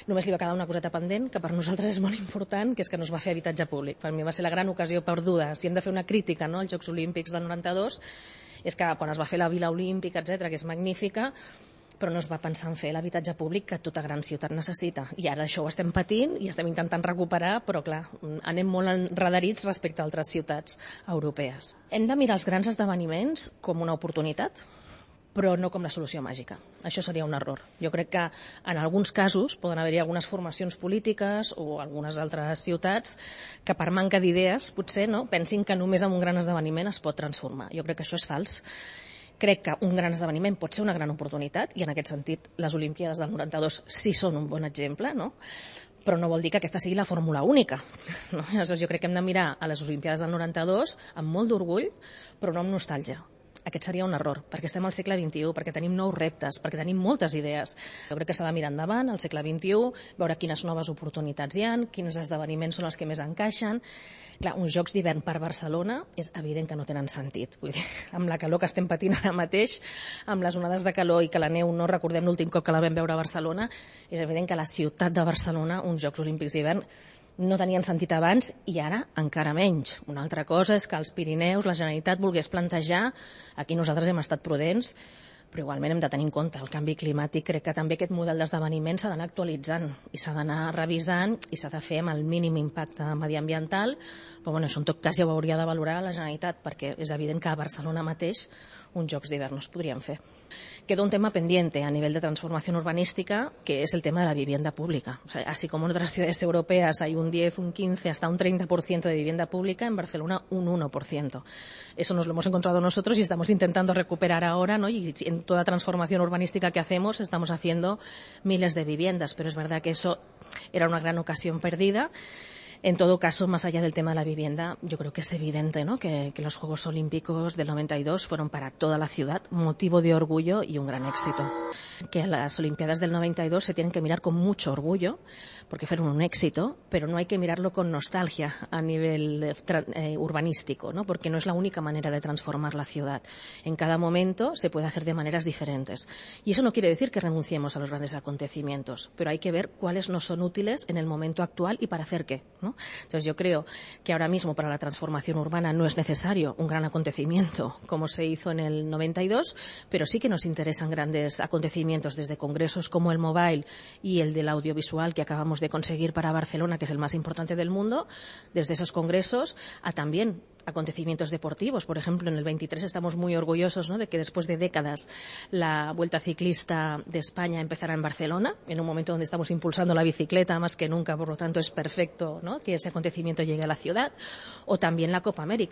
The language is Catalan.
Només li va quedar una coseta pendent, que per nosaltres és molt important, que és que no es va fer habitatge públic. Per mi va ser la gran ocasió perduda. Si hem de fer una crítica, no, als Jocs Olímpics del 92, és que quan es va fer la Vila Olímpica, etc., que és magnífica, però no es va pensar en fer l'habitatge públic que tota gran ciutat necessita. I ara això ho estem patint i estem intentant recuperar, però clar, anem molt enredarits respecte a altres ciutats europees. Hem de mirar els grans esdeveniments com una oportunitat, però no com la solució màgica. Això seria un error. Jo crec que en alguns casos poden haver-hi algunes formacions polítiques o algunes altres ciutats que per manca d'idees potser no pensin que només amb un gran esdeveniment es pot transformar. Jo crec que això és fals. Crec que un gran esdeveniment pot ser una gran oportunitat i en aquest sentit les Olimpíades del 92 sí són un bon exemple, no? Però no vol dir que aquesta sigui la fórmula única. No? Aleshores, jo crec que hem de mirar a les Olimpíades del 92 amb molt d'orgull, però no amb nostàlgia. Aquest seria un error, perquè estem al segle XXI, perquè tenim nous reptes, perquè tenim moltes idees. Jo crec que s'ha de mirar endavant, al segle XXI, veure quines noves oportunitats hi ha, quins esdeveniments són els que més encaixen. Clar, uns Jocs d'hivern per Barcelona és evident que no tenen sentit. Vull dir, amb la calor que estem patint ara mateix, amb les onades de calor i que la neu no recordem l'últim cop que la vam veure a Barcelona, és evident que a la ciutat de Barcelona uns Jocs Olímpics d'hivern no tenien sentit abans i ara encara menys. Una altra cosa és que als Pirineus la Generalitat volgués plantejar, aquí nosaltres hem estat prudents, però igualment hem de tenir en compte el canvi climàtic. Crec que també aquest model d'esdeveniment s'ha d'anar actualitzant i s'ha d'anar revisant i s'ha de fer amb el mínim impacte mediambiental, però bueno, això en tot cas ja ho hauria de valorar la Generalitat, perquè és evident que a Barcelona mateix uns Jocs d'hivern no es podrien fer. Queda un tema pendiente a nivel de transformación urbanística, que es el tema de la vivienda pública. O sea, así como en otras ciudades europeas hay un 10, un 15, hasta un 30% de vivienda pública, en Barcelona un 1%. Eso nos lo hemos encontrado nosotros y estamos intentando recuperar ahora, ¿no? Y en toda transformación urbanística que hacemos estamos haciendo miles de viviendas, pero es verdad que eso era una gran ocasión perdida. En todo caso, más allá del tema de la vivienda, yo creo que es evidente, ¿no?, que los Juegos Olímpicos del 92 fueron para toda la ciudad motivo de orgullo y un gran éxito. Que las Olimpiadas del 92 se tienen que mirar con mucho orgullo, porque fueron un éxito, pero no hay que mirarlo con nostalgia a nivel urbanístico, ¿no?, porque no es la única manera de transformar la ciudad. En cada momento se puede hacer de maneras diferentes. Y eso no quiere decir que renunciemos a los grandes acontecimientos, pero hay que ver cuáles nos son útiles en el momento actual y para hacer qué, ¿no? Entonces yo creo que ahora mismo para la transformación urbana no es necesario un gran acontecimiento como se hizo en el 92, pero sí que nos interesan grandes acontecimientos desde congresos como el Mobile y el del audiovisual que acabamos de conseguir para Barcelona, que es el más importante del mundo, desde esos congresos a también acontecimientos deportivos. Por ejemplo, en el 23 estamos muy orgullosos, ¿no?, de que después de décadas la Vuelta Ciclista de España empezara en Barcelona, en un momento donde estamos impulsando la bicicleta más que nunca, por lo tanto es perfecto, ¿no?, que ese acontecimiento llegue a la ciudad, o también la Copa América.